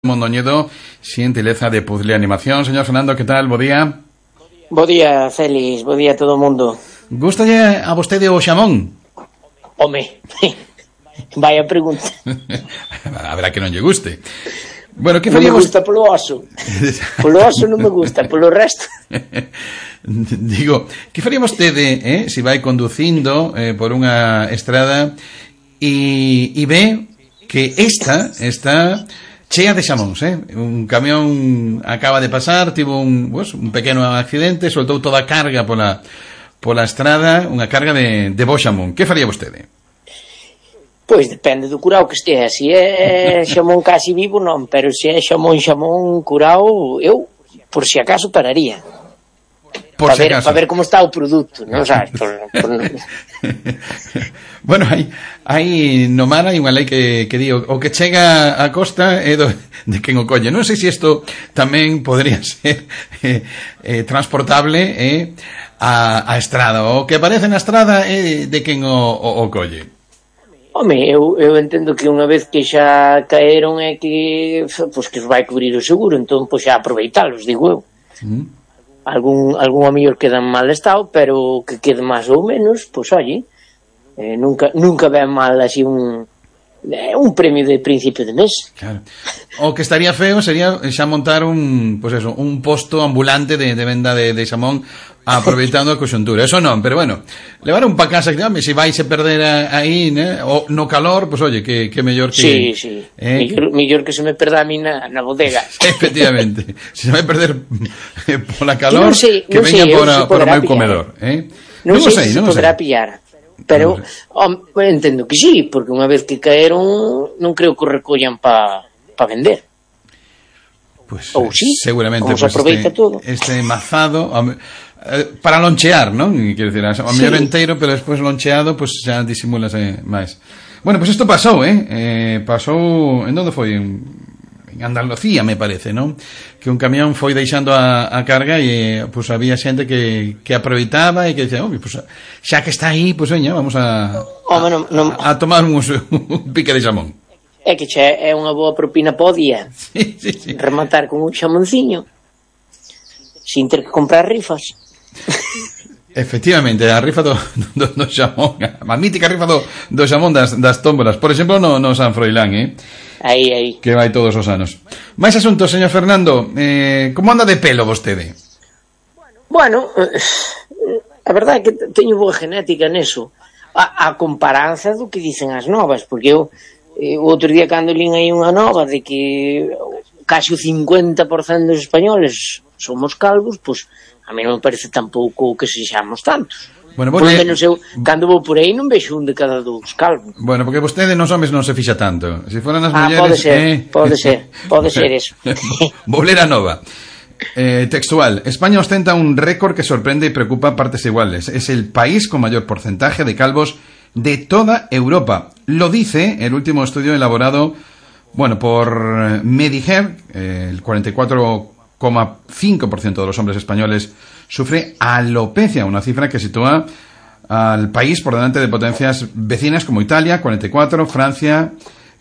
Mondoñedo, xentileza de Puzzle Animación. Señor Fernando, ¿qué tal? Bo día. Bo día, Félix. Bo día a todo o mundo. Gústalle a vostede o xamón? Home, vaya pregunta. Habrá que non lle guste. Bueno, que non me faríamos... gusta polo oso. Polo oso non me gusta, polo resto. Digo, que faría vostede, se vai conducindo por unha estrada e ve que esta está chea de xamóns, un camión acaba de pasar, tivo un pequeno accidente, soltou toda a carga pola estrada, unha carga de bo xamón. Que faría vostede? Pois depende do curao que estea. Se é xamón casi vivo, non, pero se é xamón curao, eu, por si acaso, pararía. Por si acaso. Para ver como está o produto, non sabes? Bueno, hai no mar hai unha lei que di o que chega a costa é de quen o colle. Non sei se isto tamén podría ser transportable a estrada. O que aparece na estrada é de quen o colle. Home, eu entendo que unha vez que xa caeron é que pois que os vai cubrir o seguro, entón pois xa aproveitalos, digo eu. Algún a mellor queda en mal estado, pero que quede máis ou menos, pois oye, nunca ven mal así un premio de principio de mes. Claro. O que estaría feo sería xa montar un posto ambulante de venda de xamón aproveitando a conxuntura. Eso non, pero bueno, levar un pa casa, que se vai se perder aí, o no calor, pois oye, que mellor que... Sí. Mellor que se me perda a mí na bodega. Efectivamente. Se vai perder pola calor, que veña por o meu comedor. Non sei se poderá pillar. Pero entendo que sí, porque unha vez que caeron non creo que o recollan pa vender. Pues, ou sí, seguramente como se aproveita todo. Este mazado para lonchear, non? Quero dicir, a mellor enteiro, pero despois loncheado, pues xa disimúlase máis. Bueno, pues isto pasou, pasou, en onde foi? En Andalucía, me parece, non? Que un camión foi deixando a carga e pues había xente que aproveitaba e que dicía, pues xa que está aí, pues veña, vamos a tomar un pique de xamón. É que xa é unha boa propina po día. Sí. Rematar con un xamonciño sin ter que comprar rifas. Efectivamente, a rifa do xamón, a mítica rifa do xamón das tómbolas, por exemplo, no San Froilán, Aí. Que vai todos os anos. Máis asuntos, señor Fernando, como anda de pelo vostede? Bueno, a verdade é que teño boa genética neso, a comparanza do que dicen as novas, porque eu o outro día cando lín aí unha nova de que casi o 50% dos españoles somos calvos, pois a mí non me parece tampouco que sexamos tantos. Bueno, por lo menos eu, cando vou por aí, non vexo un de cada dous calvos. Bueno, porque vostede nos homes non se fixa tanto. Se foran as mulleres... Pode ser eso. Vou ler a nova. Textual. España ostenta un récord que sorprende y preocupa a partes iguales. Es el país con mayor porcentaje de calvos de toda Europa. Lo dice el último estudio elaborado, por Mediher. El 44,5% de los hombres españoles sufre alopecia, una cifra que sitúa al país por delante de potencias vecinas como Italia, 44, Francia,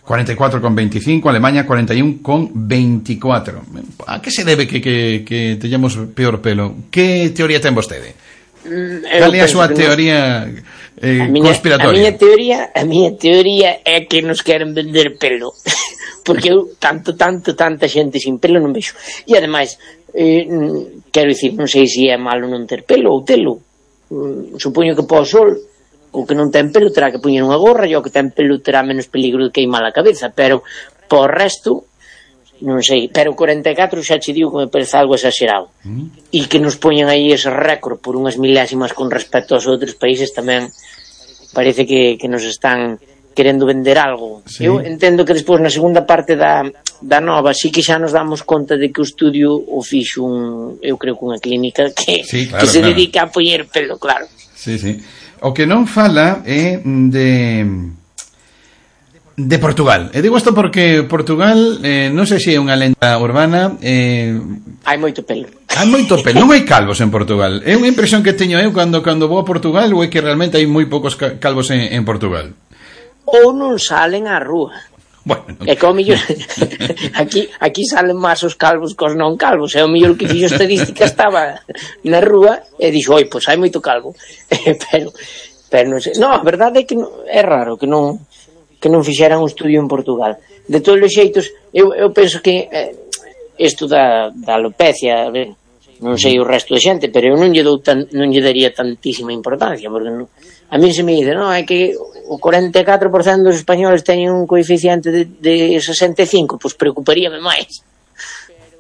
44,25, Alemania, 41,24. A que se debe que teñamos peor pelo? Que teoría ten vostede? Cal é a súa teoría conspiratoria? A miña teoría é que nos queren vender pelo. Porque eu tanta xente sin pelo non vexo. E ademais, quero dicir, non sei se é malo non ter pelo ou telo. Supoño que po sol o que non ten pelo terá que poñer unha gorra e o que ten pelo terá menos peligro de queimar a cabeza, pero po resto non sei, pero 44 xa che digo que me parece algo exagerado. E que nos poñen aí ese récord por unhas milésimas con respecto aos outros países tamén parece que nos están querendo vender algo. Sí. Eu entendo que despois na segunda parte da nova sí que xa nos damos conta de que o estudio o fixo eu creo que unha clínica que se dedica a poñer pelo, claro. Sí. O que non fala é de Portugal. E digo isto porque Portugal, non sei se é unha lenda urbana, hai moito pelo. Hai moito pelo, non hai calvos en Portugal. É unha impresión que teño eu cando vou a Portugal, ou é que realmente hai moi poucos calvos en Portugal. Ou non salen á rúa. Bueno, é que ao mellor aquí salen máis os calvos que os non calvos, e ao mellor que fixo estadística estaba na rúa e dixo, oi, pois hai moito calvo. pero non sei, non, a verdade é que é raro que non fixeran un estudio en Portugal. De todos os xeitos, eu penso que isto da alopecia, non sei o resto da xente, pero eu non lle daría tantísima importancia, porque a mí se me dice, non, é que o 44% dos españoles teñen un coeficiente de 65, pois preocuparíame máis.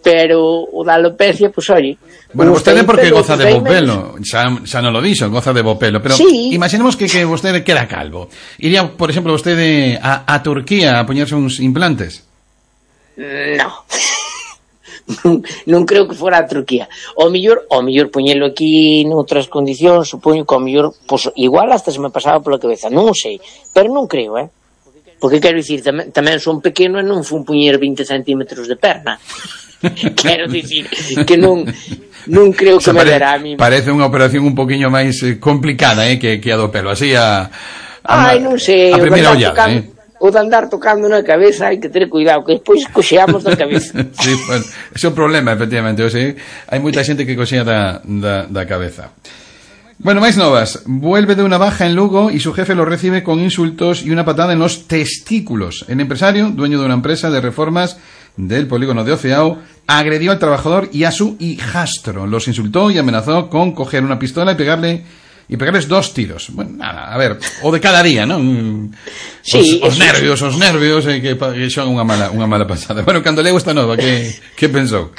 Pero o da alopecia, pois, oye... Bueno, vostede porque goza de bo pelo, xa non lo dixo, goza de bo pelo, pero sí. Imaginemos que vostede queda calvo. Iría, por exemplo, vostede a Turquía a poñerse uns implantes? No. Non creo que fora a Turquía. O mellor poñelo aquí noutras condicións, supoño que o mellor, pois, igual hasta se me pasaba pola cabeza, non sei, pero non creo, porque quero dicir, tamén son pequeno e non fun poñer 20 centímetros de perna. Quero dicir que non creo que me dará a mí. Parece unha operación un poquinho máis complicada, que a do pelo, así non sei, a primeira ollada, o de andar tocando na cabeza hai que ter cuidado, que despois coxeamos da cabeza. Sí, pues, ese é o problema, efectivamente. O sea, hai moita xente que coxea da cabeza. Bueno, máis novas. Vuelve de una baja en Lugo y su jefe lo recibe con insultos y una patada en los testículos. El empresario, dueño de una empresa de reformas del polígono de Oceao, agredió al trabajador y a su hijastro. Los insultó y amenazó con coger una pistola y pegarles 2 tiros. Bueno, nada, a ver, o de cada día, non? Sí, os nervios, que son unha mala pasada. Bueno, cando leo esta nova, que pensou?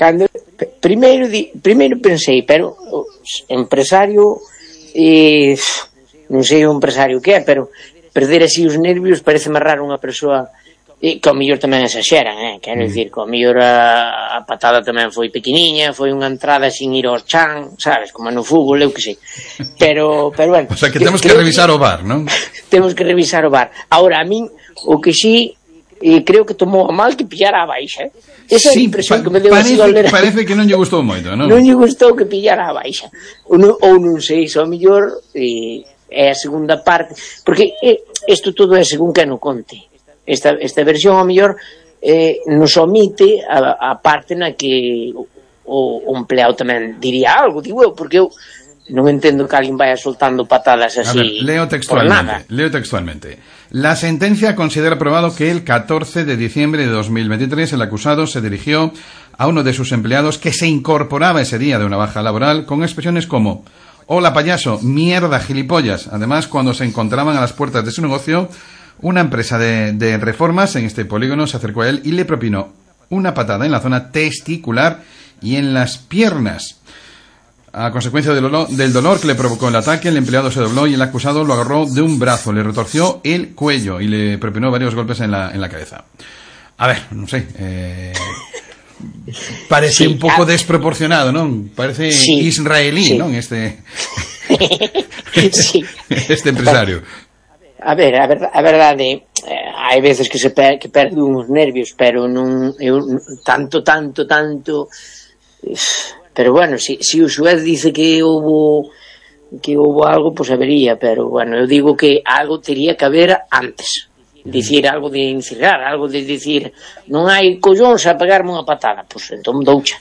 Primeiro pensei, pero empresario, non sei o empresario que é, pero perder así os nervios parece máis raro unha persoa que ao mellor tamén exaxeran, quero dicir, que ao mellor a patada tamén foi pequeniña, foi unha entrada sin ir ao chan, sabes, como no fútbol, eu que sei. Pero bueno... O sea, que temos que revisar o VAR, non? Temos que revisar o VAR. Ahora, a min, o que sí, creo que tomou a mal que pillara a baixa, Esa é a impresión que me deu así ao ler. Parece que non lle gustou moito, non? Non lle gustou que pillara a baixa. Ou non sei, ao mellor é a segunda parte, porque isto todo é según que no conte. Esta versión ao mellor nos omite a parte na que o empleado tamén diría algo, digo eu, porque eu non entendo que alguén vaya soltando patadas así. A ver, leo textualmente. La sentencia considera probado que el 14 de diciembre de 2023 el acusado se dirigió a uno de sus empleados que se incorporaba ese día de una baja laboral con expresiones como: hola payaso, mierda, gilipollas. Además, cuando se encontraban a las puertas de su negocio, una empresa de reformas en este polígono se acercó a él y le propinó una patada en la zona testicular y en las piernas. A consecuencia del dolor que le provocó el ataque, el empleado se dobló y el acusado lo agarró de un brazo, le retorció el cuello y le propinó varios golpes en la cabeza. A ver, non sei, parece un pouco desproporcionado, non? Parece israelí, non? Este empresario. A ver, a verdade, hai veces que perde uns nervios, pero non tanto. Pero bueno, si o xuez dice que houbo algo, pues habería, pero bueno, eu digo que algo tería que haber antes. Dicir algo de incitar, algo de dicir non hai collóns a pegarme unha patada, pues entón doucha.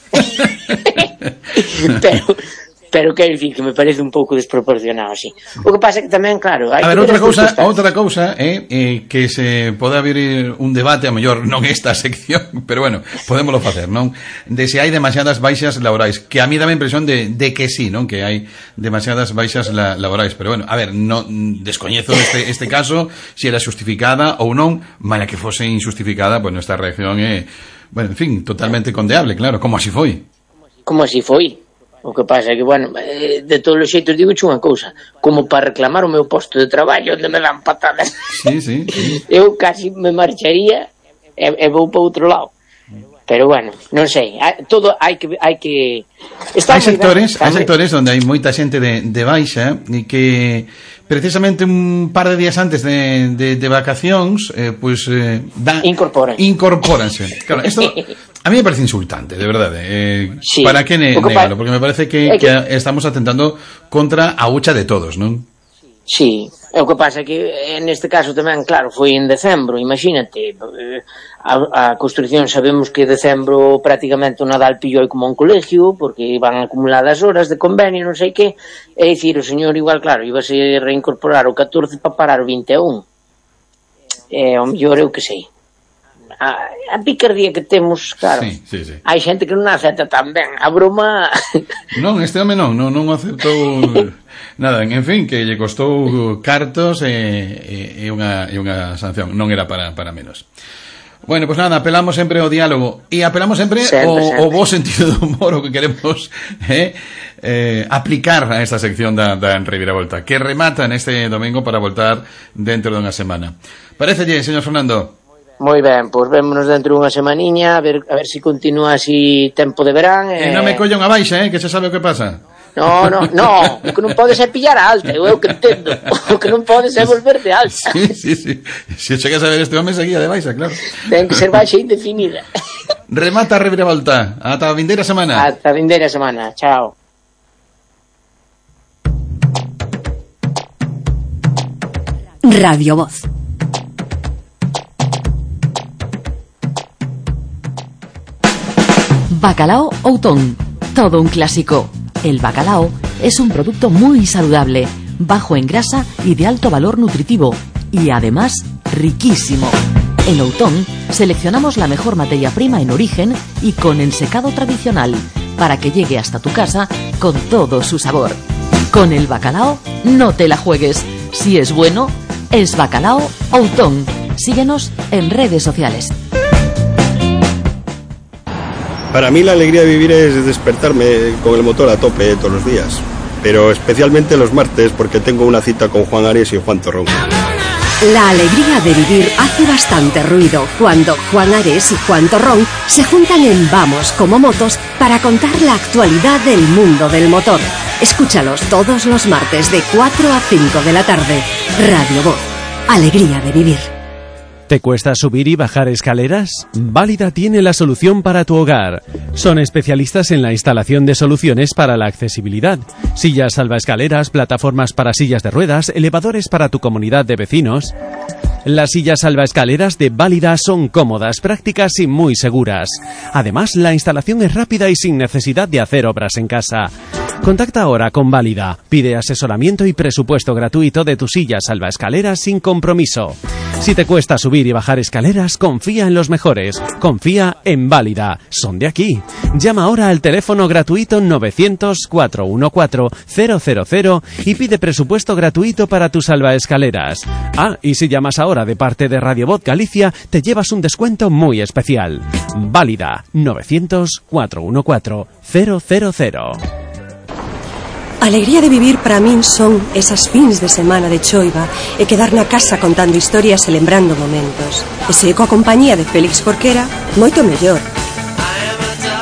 Pero quero dicir que me parece un pouco desproporcionado así. O que pasa é que tamén, claro, hai. A ver, outra cousa é que se pode abrir un debate, a mellor non esta sección, pero bueno, podémoslo facer, non? De se hai demasiadas baixas laborais, que a mí dá a impresión de que sí, non? Que hai demasiadas baixas laborais, pero bueno, a ver, non descoñezo este caso, se era justificada ou non, mala que fose injustificada, pues nuestra reacción é, bueno, en fin, totalmente condeable, claro, como así foi. Como así foi. O que pasa é que, bueno, de todos os xeitos digo unha cousa, como para reclamar o meu posto de traballo onde me dan patadas. Sí. Eu casi me marcharía e vou para outro lado. Pero bueno, non sei, todo hai que hai sectores onde hai moita xente de baixa e que precisamente un par de días antes de vacacións incorpóranse. Claro, isto a mí me parece insultante, de verdade. Sí. ¿Para qué negarlo? Porque me parece que estamos atentando contra a hucha de todos, non? Sí, o que pasa que neste caso tamén, claro, foi en decembro, imagínate, a construcción sabemos que decembro prácticamente o Nadal pillou como un colegio, porque van acumuladas horas de convenio, non sei que, é dicir, o señor igual, claro, ibase reincorporar o 14 para parar o 21. O mellor eu que sei. A picardía que temos, claro, sí. hai xente que non acepta tan ben a broma. Non, este home non aceptou nada, en fin, que lle costou cartos e unha sanción, non era para menos. Bueno, pues nada, apelamos sempre ao diálogo e apelamos sempre ao bo sentido do humor, o que queremos aplicar a esta sección da reviravolta, que remata neste domingo para voltar dentro dunha semana. Parécelle, señor Fernando? Moi ben, pois vémonos dentro dunha semaniña, a ver se continúa así tempo de verán. E non me colla unha baixa, que se sabe o que pasa. No, o que non podes é pillar a alta, eu que entendo. O que non podes é volver de alta. Sí. Se chegas a ver este home seguía de baixa, claro. Ten que ser baixa indefinida. Remata a reviravolta. Ata a vindeira semana. Ata a vindeira semana, chao. Radio Voz. Bacalao Outón, todo un clásico. El bacalao es un producto muy saludable, bajo en grasa y de alto valor nutritivo, y además riquísimo. En Outón seleccionamos la mejor materia prima en origen y con ensecado tradicional, para que llegue hasta tu casa con todo su sabor. Con el bacalao no te la juegues. Si es bueno, es Bacalao Outón. Síguenos en redes sociales. Para mí la alegría de vivir es despertarme con el motor a tope todos los días, pero especialmente los martes porque tengo una cita con Juan Ares y Juan Torrón. La alegría de vivir hace bastante ruido cuando Juan Ares y Juan Torrón se juntan en Vamos como Motos para contar la actualidad del mundo del motor. Escúchalos todos los martes de 4 a 5 de la tarde. Radio Voz. Alegría de vivir. ¿Te cuesta subir y bajar escaleras? Válida tiene la solución para tu hogar. Son especialistas en la instalación de soluciones para la accesibilidad. Sillas salvaescaleras, plataformas para sillas de ruedas, elevadores para tu comunidad de vecinos. Las sillas salvaescaleras de Válida son cómodas, prácticas y muy seguras. Además, la instalación es rápida y sin necesidad de hacer obras en casa. Contacta ahora con Válida. Pide asesoramiento y presupuesto gratuito de tu silla salvaescaleras sin compromiso. Si te cuesta subir y bajar escaleras, confía en los mejores. Confía en Válida. Son de aquí. Llama ahora al teléfono gratuito 900-414-000 y pide presupuesto gratuito para tus salvaescaleras. Y si llamas ahora de parte de Radio Voz Galicia, te llevas un descuento muy especial. Válida 900-414-000. Alegría de vivir para min son esas fins de semana de choiva e quedar na casa contando historias e lembrando momentos. E se coa compañía de Félix Jorquera, moito mellor.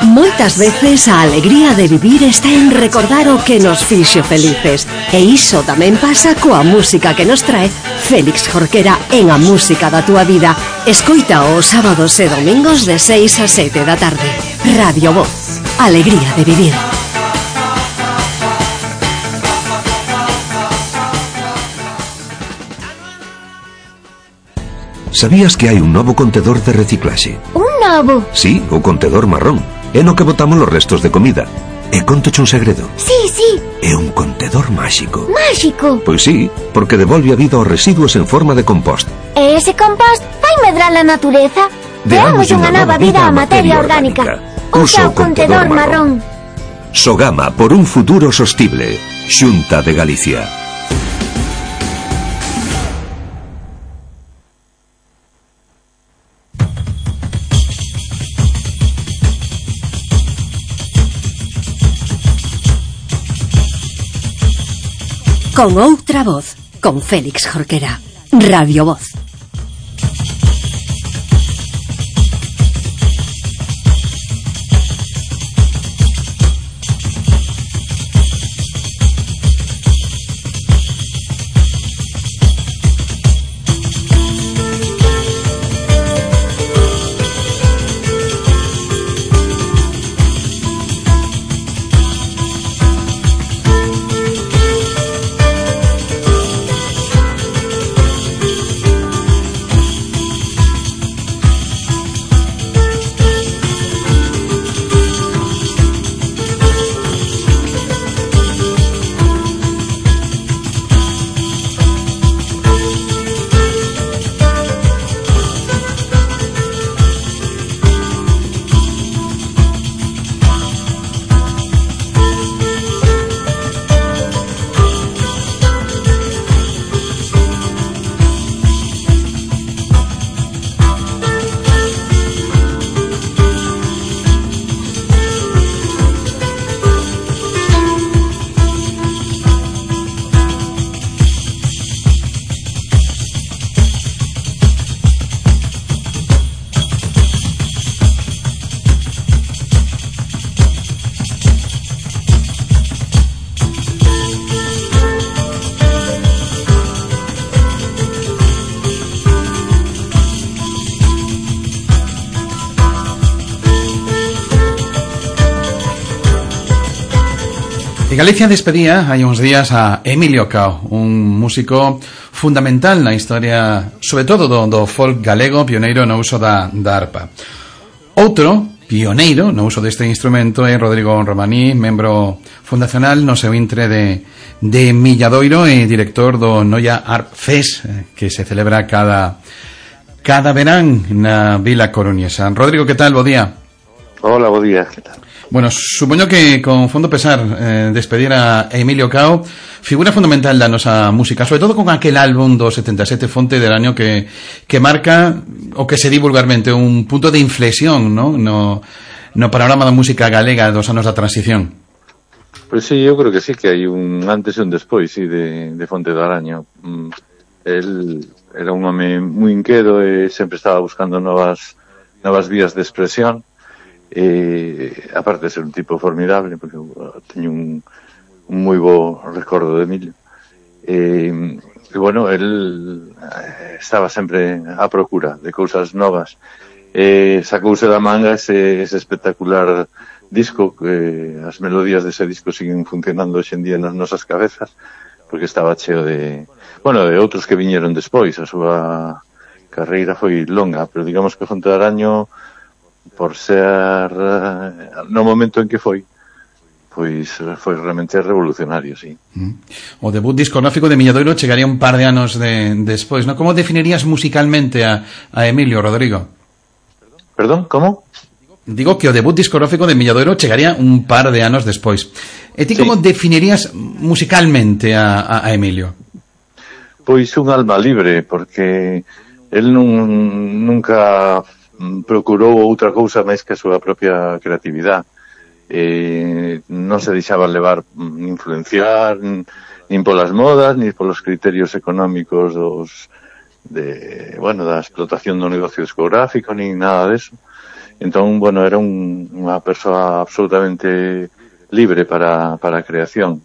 Moitas veces a alegría de vivir está en recordar o que nos fixo felices. E iso tamén pasa coa música que nos trae Félix Jorquera en A Música da Túa Vida. Escoita os sábados e domingos de 6 a 7 da tarde. Radio Voz. Alegría de vivir. Sabías que hai un novo contedor de reciclaxe? Un novo? Sí, o contedor marrón. É no que botamos os restos de comida. E contoche un segredo. Sí. É un contedor máxico. Máxico? Pois sí, porque devolve a vida aos residuos en forma de compost. E ese compost vai medrar a natureza? Deamos unha nova vida á materia orgánica. Usa o contedor marrón. Sogama por un futuro sostible. Xunta de Galicia. Con outra voz, con Félix Jorquera. Radio Voz. Galicia despedía hai uns días a Emilio Cao, un músico fundamental na historia, sobre todo do folk galego, pioneiro no uso da arpa. Outro pioneiro no uso deste instrumento é Rodrigo Romaní, membro fundacional no seu intre de Milladoiro e director do Noia Arp Fest, que se celebra cada verán na Vila Coruñesa. Rodrigo, que tal? Bo día. Hola, bo día, que tal? Bueno, supoño que con fondo pesar despedir a Emilio Cao, figura fundamental da nosa música, sobre todo con aquel álbum do 77 Fonte del Año que marca o que se di vulgarmente un punto de inflexión, ¿no? No panorama da música galega dos anos da transición. Pues sí, eu creo que sí, que hai un antes e un despois, sí, de Fonte del Año. Él era un home moi inquedo e sempre estaba buscando novas vías de expresión. Aparte de ser un tipo formidable, porque teño un moi bo recordo de Emilio, e bueno, él estaba sempre á procura de cousas novas, sacouse da manga ese espectacular disco, que as melodías dese disco siguen funcionando hoxe en día nas nosas cabezas, porque estaba cheo de outros que viñeron despois. A súa carreira foi longa, pero digamos que Fonte del Año, por ser no momento en que foi realmente revolucionario, sí. O debut discográfico de Milladoiro chegaría un par de anos despois, ¿no? Como definirías musicalmente a Emilio, Rodrigo? Perdón, como? Digo que o debut discográfico de Milladoiro chegaría un par de anos despois. E ti como definirías musicalmente a Emilio? Pois un alma libre, porque el nunca procurou outra cousa máis que a súa propia creatividade. Non se deixaba levar, influenciar nin polas modas, nin polos criterios económicos da explotación do negocio discográfico, nin nada deso. Entón, era unha persoa absolutamente libre para a creación.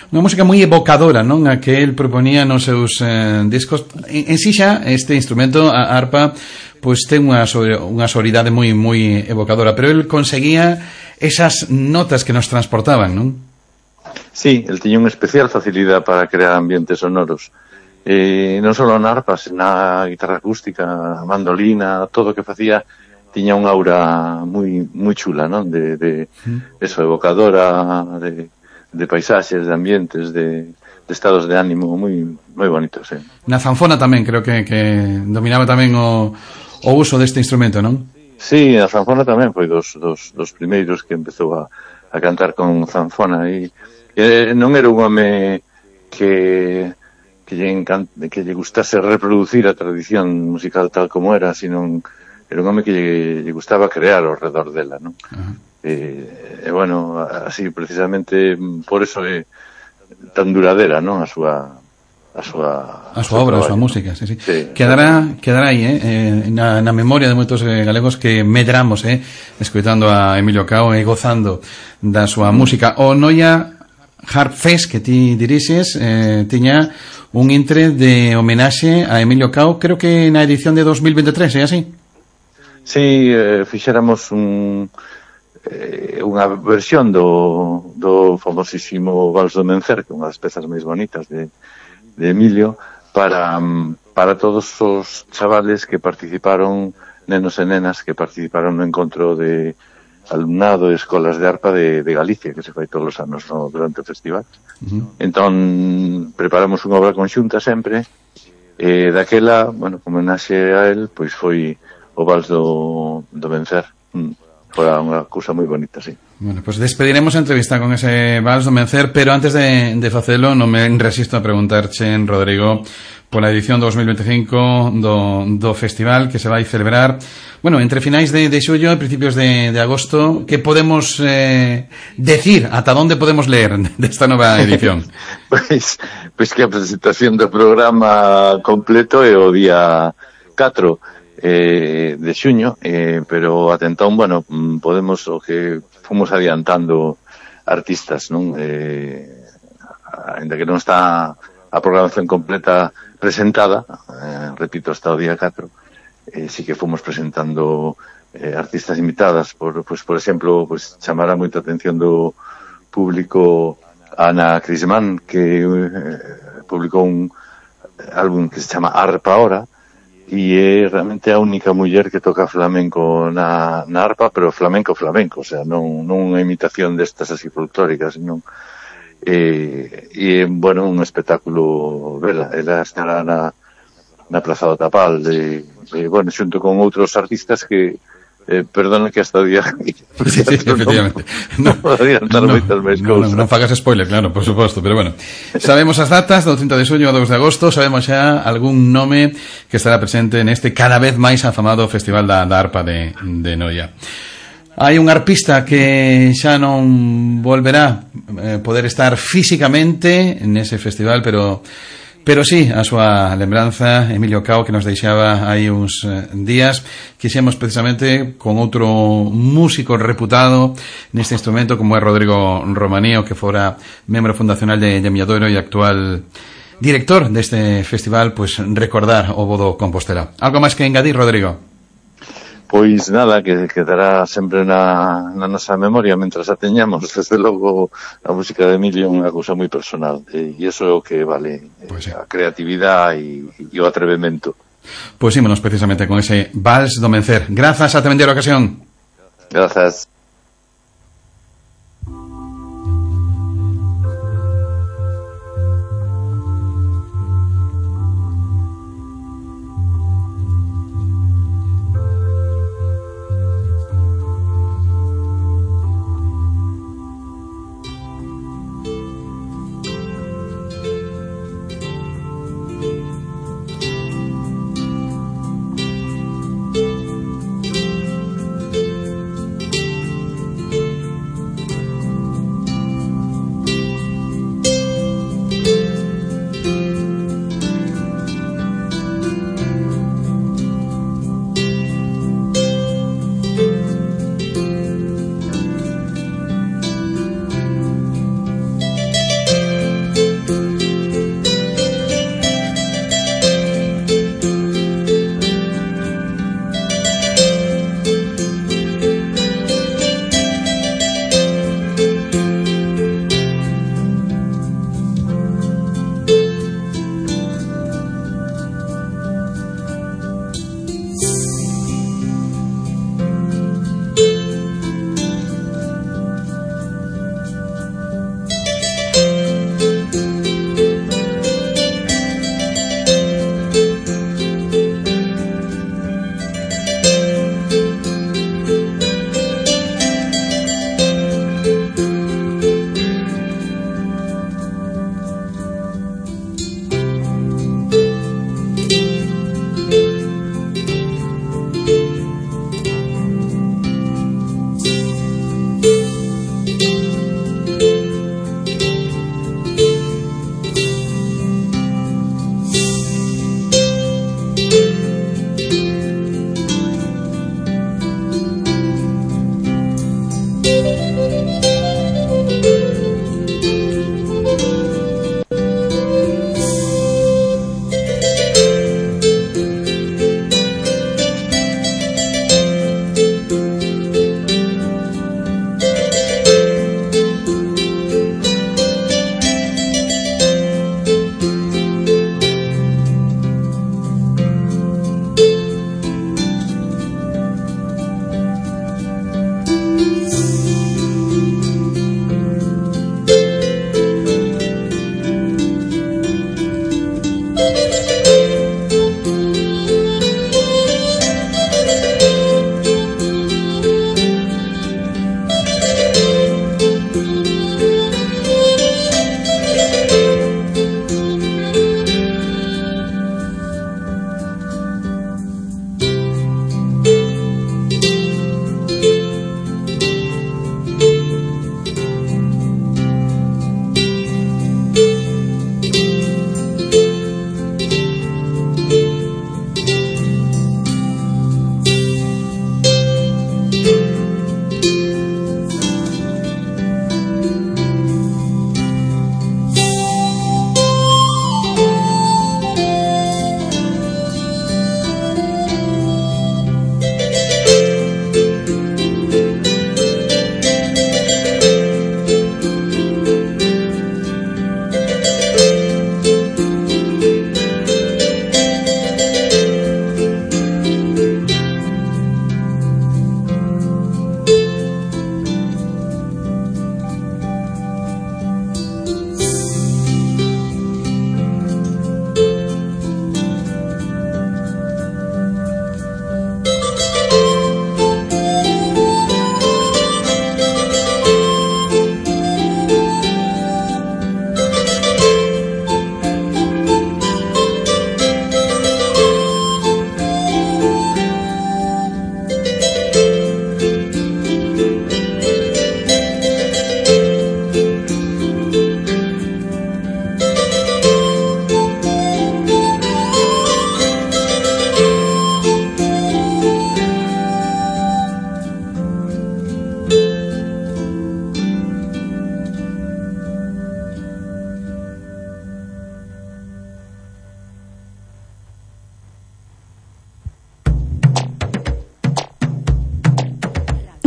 Unha música moi evocadora, non? A que el proponía nos seus discos. En si xa, este instrumento, a arpa, pois ten unha sonoridade moi evocadora, pero el conseguía esas notas que nos transportaban, non? Sí, el tiña unha especial facilidade para crear ambientes sonoros. Non só na arpa, na guitarra acústica, a mandolina, todo o que facía tiña unha aura moi chula, non? De eso, evocadora, de paisaxes, de ambientes, de estados de ánimo moi bonitos, sí. Na zanfona tamén, creo que dominaba tamén o uso deste instrumento, non? Sí, a zanfona tamén foi dos primeiros que empezou a cantar con zanfona, e non era un home que lle gustase reproducir a tradición musical tal como era, sino era un home que lle gustaba crear ao redor dela, non? Así precisamente por eso é tan duradera, non? A súa obra, a súa música, sí. Quedará aí, na memoria de moitos galegos que medramos, escoitando a Emilio Cao e gozando da súa música. O Noia Arp Fest que ti dirixes tiña un intre de homenaxe a Emilio Cao, creo que na edición de 2023, é así? Sí, fixéramos unha versión do famosísimo Vals do Mencer, que é unha das pezas máis bonitas de Emilio, para todos os chavales que participaron, nenos e nenas que participaron no encontro de alumnado de escolas de arpa de Galicia, que se fai todos os anos durante o festival. Entón, preparamos unha obra conxunta sempre, e daquela, como homenaxe a él, pois foi o Vals do Vencer. Fora unha cousa moi bonita, sí. Bueno, pues despediremos a entrevista con ese Vals do Vencer, pero antes de facelo non me resisto a preguntarche, Rodrigo, pola edición 2025 do festival que se vai celebrar, entre finais de xullo e principios de agosto. Que podemos decir, ata onde podemos ler desta nova edición? Pois que a presentación do programa completo é o día 4 de xuño, pero atentón, podemos o que fomos adiantando artistas, non? Ainda que non está a programación completa presentada, repito, hasta o día 4, sí que fomos presentando artistas invitadas, por exemplo, chamara moita atención do publicou Ana Crisman, que publicou un álbum que se chama Arpa Ahora, e é realmente a única muller que toca flamenco na arpa, pero flamenco, o sea, non unha imitación destas así folclóricas, non. E bueno, un espectáculo vela, ela estará na Praza do Tapal, bueno, xunto con outros artistas que perdona que hasta o día sí, efectivamente non adiantar moitas máis cousas. Non fagas spoiler, claro, por suposto, pero bueno, sabemos as datas do 30 de xuño ao 2 de agosto, sabemos xa algún nome que estará presente neste cada vez máis afamado Festival da Arpa de Noia. Hai un arpista que xa non volverá poder estar físicamente nese festival, pero sí, a súa lembranza, Emilio Cao, que nos deixaba hai uns días. Quixemos precisamente con outro músico reputado neste instrumento, como é Rodrigo Romanío, que fora membro fundacional de Milladoiro e actual director deste festival, pues recordar o Vodo Compostela. Algo máis que engadir, Rodrigo? Pois nada, que quedará sempre na nosa memoria mentras a teñamos. Desde logo, a música de Emilio é unha cousa moi personal, e iso é o que vale, pues sí, a creatividade e o atrevemento. Pois ímonos precisamente con ese Vals do Mencer. Grazas, ata vender a ocasión. Grazas.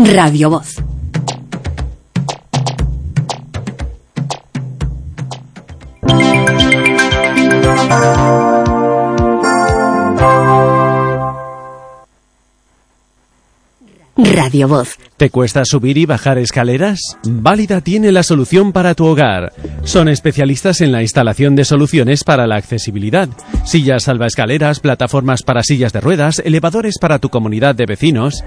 Radio Voz. Radio Voz. ¿Te cuesta subir y bajar escaleras? Válida tiene la solución para tu hogar. Son especialistas en la instalación de soluciones para la accesibilidad. Sillas salvaescaleras, plataformas para sillas de ruedas, elevadores para tu comunidad de vecinos.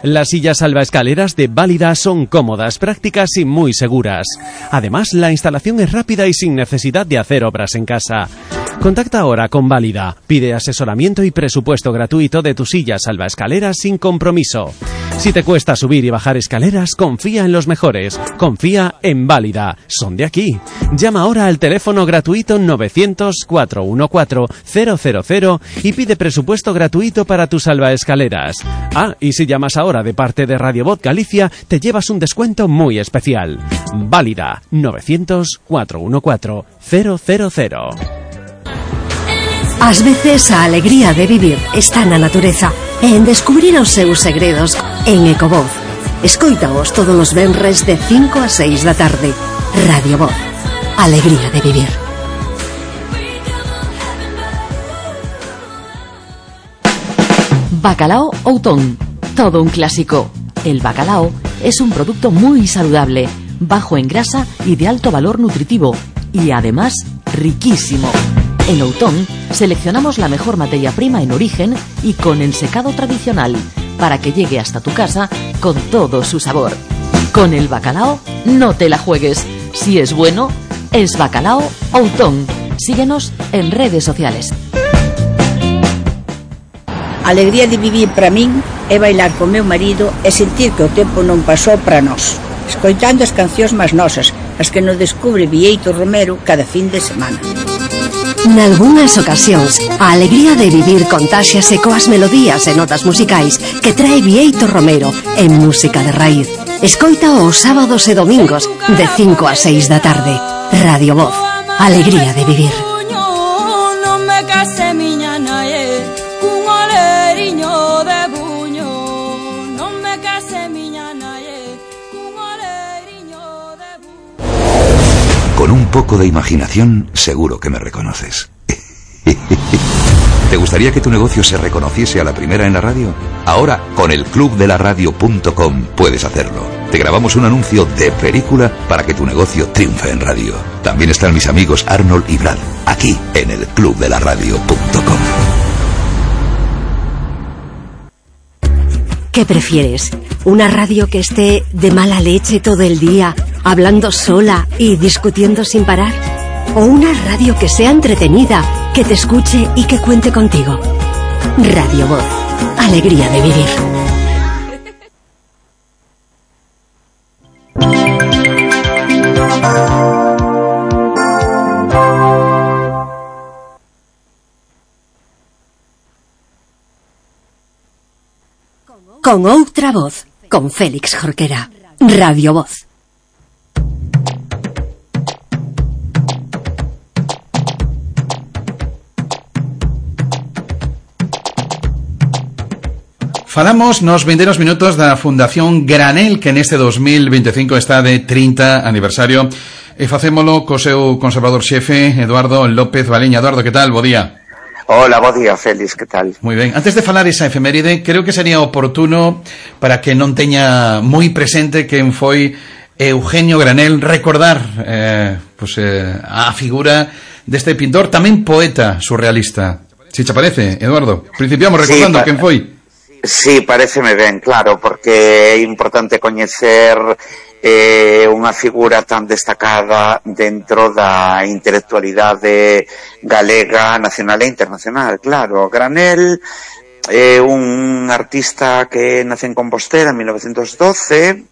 Las sillas salvaescaleras de Válida son cómodas, prácticas y muy seguras. Además, la instalación es rápida y sin necesidad de hacer obras en casa. Contacta ahora con Válida. Pide asesoramiento y presupuesto gratuito de tu silla salvaescaleras sin compromiso. Si te cuesta subir y bajar escaleras, confía en los mejores. Confía en Válida. Son de aquí. Llama ahora al teléfono gratuito 900-414-000 y pide presupuesto gratuito para tus salvaescaleras. Ah, y si llamas ahora de parte de Radio Voz Galicia, te llevas un descuento muy especial. Válida. 900-414-000. Ás veces a alegría de vivir está na natureza e en descubrir os seus segredos en Ecovoz. Escoítaos todos os venres de 5 a 6 da tarde. Radio Voz. Alegría de vivir. Bacalao Outón. Todo un clásico. El bacalao es un producto muy saludable, bajo en grasa y de alto valor nutritivo, y además riquísimo. En Outón seleccionamos la mejor materia prima en origen y con el secado tradicional para que llegue hasta tu casa con todo su sabor. Con el bacalao no te la juegues. Si es bueno, es Bacalao Outón. Síguenos en redes sociales. A alegría de vivir para min é bailar con meu marido e sentir que o tempo non pasou para nós, escoitando as cancións máis nosas, as que nos descubre Bieito Romero cada fin de semana. Nalgúnas ocasións, a alegría de vivir contáxiase coas melodías e notas musicais que trae Bieito Romero en música de raíz. Escoita os sábados e domingos de 5 a 6 da tarde. Radio Voz. Alegría de vivir. Con un poco de imaginación, seguro que me reconoces. ¿Te gustaría que tu negocio se reconociese a la primera en la radio? Ahora, con el clubdelaradio.com puedes hacerlo. Te grabamos un anuncio de película para que tu negocio triunfe en radio. También están mis amigos Arnold y Brad, aquí en el clubdelaradio.com. ¿Qué prefieres? ¿Una radio que esté de mala leche todo el día, hablando sola y discutiendo sin parar? ¿O una radio que sea entretenida, que te escuche y que cuente contigo? Radio Voz. Alegría de vivir. Con outra voz, con Félix Jorquera. Radio Voz. Falamos nos vindeiros minutos da Fundación Granel, que neste 2025 está de 30 aniversario, e facémolo co seu conservador xefe, Eduardo López Baleña. Eduardo, que tal? Bo día. Hola, bo día, Félix, que tal? Moi ben. Antes de falar esa efeméride, creo que sería oportuno, para que non teña moi presente quen foi Eugenio Granel, recordar a figura deste pintor, tamén poeta surrealista. Si te parece, Eduardo? Principiamos recordando quen foi. Sí, pareceme ben, claro, porque é importante coñecer unha figura tan destacada dentro da intelectualidade galega, nacional e internacional. Claro, Granel é un artista que nace en Compostela en 1912.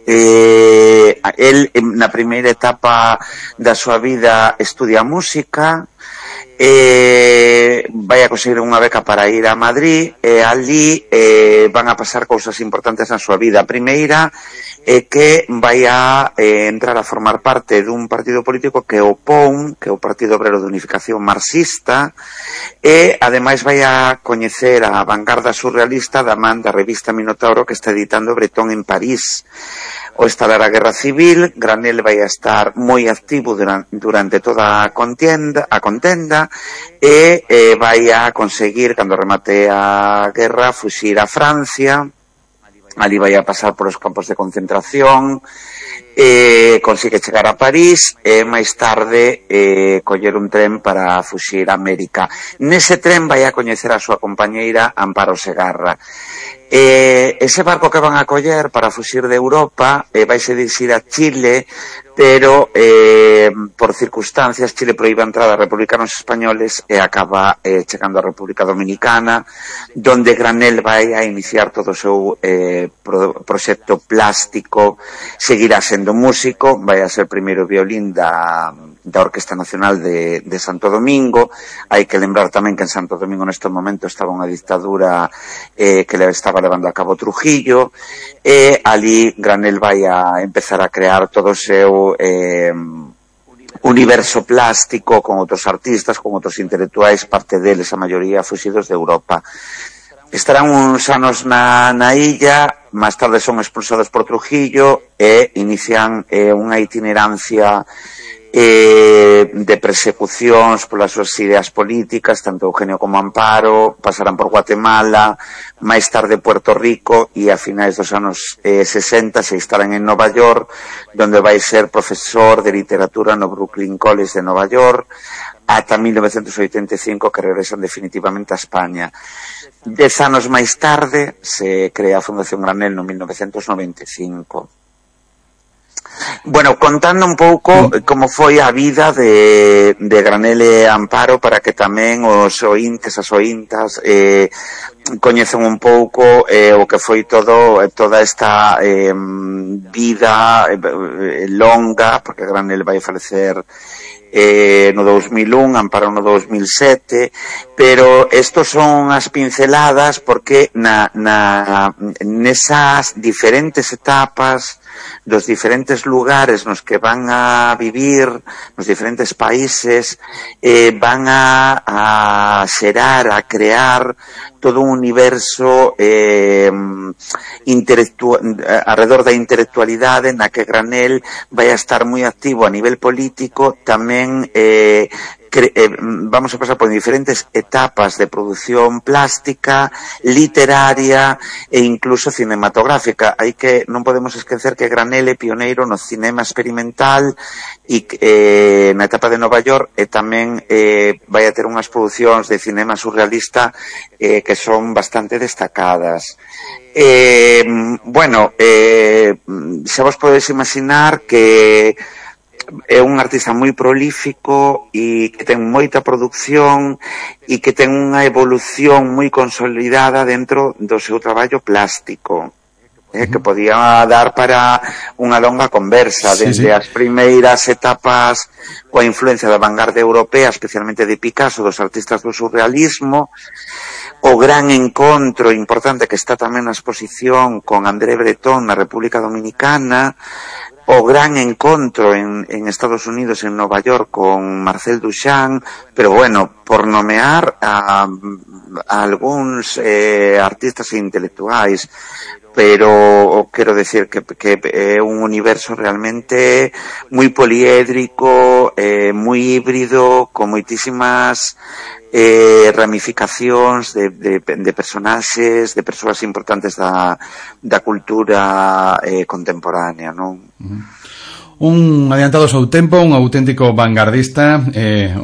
El na primeira etapa da súa vida estudia música, vai a conseguir unha beca para ir a Madrid, e ali van a pasar cousas importantes na súa vida. A primeira e que vai a entrar a formar parte dun partido político que é o POUM, que é o Partido Obrero de Unificación Marxista, e ademais vai a coñecer a vanguarda surrealista da man da revista Minotauro que está editando Breton en París. O estalar a Guerra Civil, Granell vai a estar moi activo durante toda a contenda e vai a conseguir, cando remate a guerra, fuxir a Francia. Ali vai a pasar por os campos de concentración, consigue chegar a París e máis tarde coller un tren para fuxir a América. Nese tren vai a coñecer a súa compañeira Amparo Segarra. Ese barco que van a coller para fuxir de Europa vaise dirixir a Chile, pero por circunstancias Chile proíbe a entrada a republicanos españoles e acaba chegando a República Dominicana, donde Granell vai a iniciar todo o seu proxecto plástico. Seguirá sendo músico, vai a ser primeiro violín da Orquesta Nacional de Santo Domingo. Hai que lembrar tamén que en Santo Domingo neste momento estaba unha dictadura que le estaba levando a cabo Trujillo, e ali Granell vai a empezar a crear todo o seu universo plástico con outros artistas, con outros intelectuais, parte deles a maioría fuxidos de Europa. Estarán uns anos na illa, máis tarde son expulsados por Trujillo e inician unha itinerancia de persecucións polas súas ideas políticas, tanto Eugenio como Amparo. Pasarán por Guatemala, máis tarde Puerto Rico, e a finais dos anos 60 se instalan en Nova York, donde vai ser profesor de literatura no Brooklyn College de Nova York, ata 1985, que regresan definitivamente a España. 10 anos máis tarde se crea a Fundación Granell no 1995. Bueno, contando un pouco como foi a vida de Granell e Amparo, para que tamén os ointes, as ointas coñecen un pouco o que foi toda esta vida longa, porque Granell vai falecer no 2001, Amparo no 2007, pero estos son as pinceladas porque nesas diferentes etapas dos diferentes lugares nos que van a vivir, nos diferentes países, van a xerar, a crear todo un universo alrededor da intelectualidade, na que Granell vai a estar moi activo a nivel político, tamén vamos a pasar por diferentes etapas de produción plástica, literaria e incluso cinematográfica. Non podemos esquecer que Granell é pioneiro no cinema experimental e na etapa de Nova York, e tamén vai a ter unhas producións de cinema surrealista que son bastante destacadas. Xa vos podedes imaginar que é un artista moi prolífico e que ten moita produción e que ten unha evolución moi consolidada dentro do seu traballo plástico, que podía dar para unha longa conversa, desde as primeiras etapas coa influencia da vanguardia europea, especialmente de Picasso, dos artistas do surrealismo, o gran encontro importante que está tamén na exposición con André Breton na República Dominicana, o gran encontro en Estados Unidos, en Nova York, con Marcel Duchamp, pero bueno, por nomear a algúns artistas e intelectuais, pero quero decir que é un universo realmente moi poliédrico, moi híbrido, con moitísimas ramificacións de personaxes, de persoas importantes da cultura contemporánea, non? Un adiantado ao seu tempo, un auténtico vanguardista,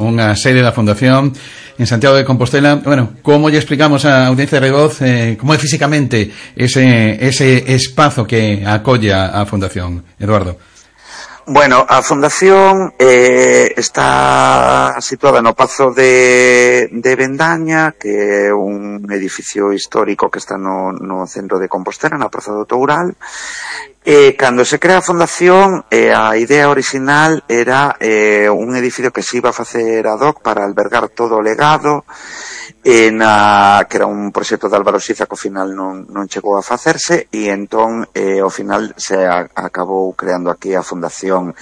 unha serie da Fundación en Santiago de Compostela. Bueno, como lle explicamos a audiencia de Revoz como é físicamente ese espazo que acolle a Fundación, Eduardo? Bueno, a Fundación está situada no Pazo de Vendaña, que é un edificio histórico que está no centro de Compostela, na Praza do Toural. Cando se crea a fundación, a idea original era un edificio que se iba a facer ad hoc para albergar todo o legado, que era un proxecto de Álvaro Siza que ao final non chegou a facerse, e entón ao final se acabou creando aquí a fundación.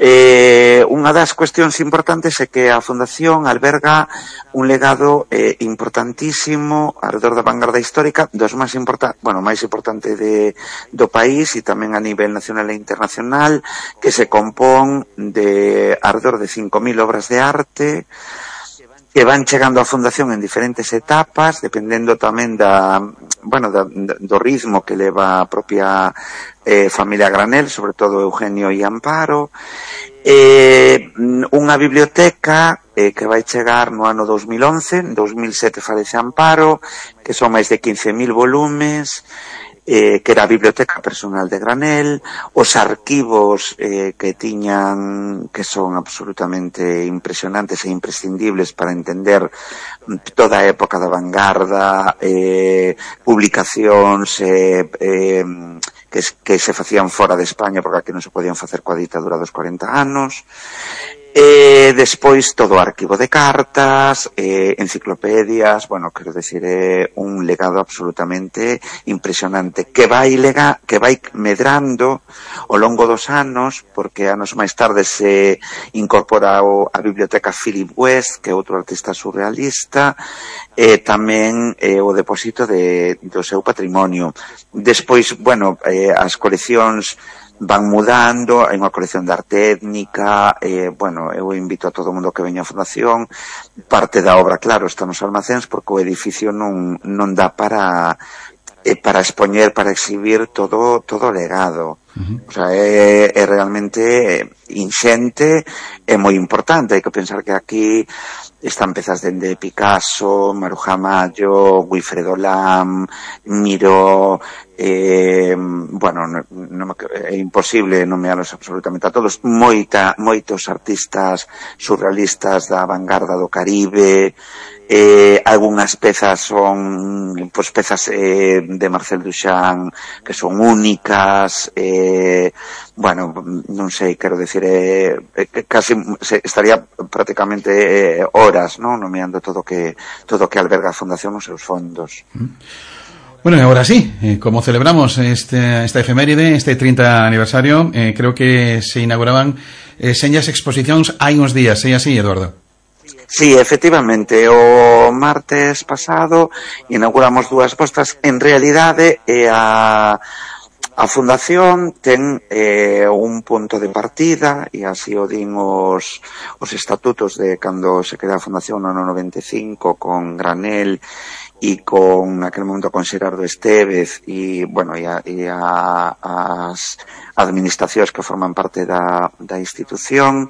Unha das cuestións importantes é que a fundación alberga un legado importantísimo alrededor da vanguarda histórica, dos máis importante do país e tamén a nivel nacional e internacional, que se compón de alrededor de 5.000 obras de arte que van chegando á fundación en diferentes etapas, dependendo tamén do ritmo que leva a propia familia Granel, sobre todo Eugenio e Amparo, unha biblioteca que vai chegar no ano 2011, en 2007 falece Amparo, que son máis de 15.000 volumes, que era a biblioteca personal de Granel, os arquivos que tiñan, que son absolutamente impresionantes e imprescindibles para entender toda a época da vanguarda, publicacións que se facían fora de España porque aquí non se podían facer coa ditadura dos 40 anos. Despois todo o arquivo de cartas, enciclopedias, quero decir, é un legado absolutamente impresionante que vai medrando ao longo dos anos, porque anos máis tarde se incorpora a biblioteca Philip West, que é outro artista surrealista, e tamén o depósito do seu patrimonio. Despois, as coleccións van mudando, hai unha colección de arte étnica, eu invito a todo o mundo que veña á fundación. Parte da obra, claro, está nos almacéns porque o edificio non dá para expoñer, para exhibir todo o legado. O sea, é realmente inxente, é moi importante. Hai que pensar que aquí están pezas dende Picasso, Maruja Mayo, Wilfredo Lam, Miró, é imposible nomealos absolutamente a todos, moitos artistas surrealistas da vanguarda do Caribe. Algunhas pezas son pezas de Marcel Duchamp que son únicas, non sei, quero decir, casi estaría prácticamente horas, non, nomeando todo que alberga a fundación os seus fondos. Bueno, y ahora sí, como celebramos esta efeméride, este 30 aniversario, creo que se inauguraban señas exposicións hai uns días, é así, Eduardo? Sí, efectivamente, o martes pasado inauguramos dúas postas. En realidade, a fundación ten un punto de partida, e así o din os estatutos de cando se crea a fundación no ano 95 con Granel e con aquel momento con Xerardo Estévez e as administracións que forman parte da institución.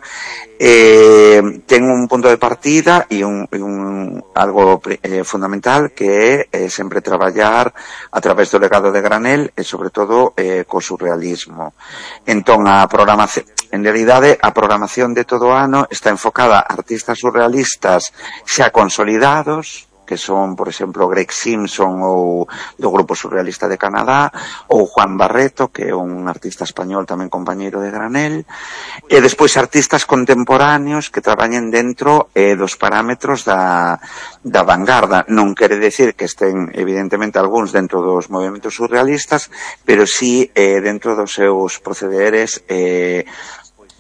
Ten un punto de partida e algo fundamental que é sempre traballar a través do legado de Granel e sobre todo co surrealismo. Entón a programación, en realidade a programación de todo o ano está enfocada a artistas surrealistas xa consolidados, que son, por exemplo, Greg Simpson ou do Grupo Surrealista de Canadá, ou Juan Barreto, que é un artista español tamén compañeiro de Granel, e despois artistas contemporáneos que traballen dentro dos parámetros da vanguarda. Non quere decir que estén, evidentemente, algúns dentro dos movimentos surrealistas, pero sí dentro dos seus procederes,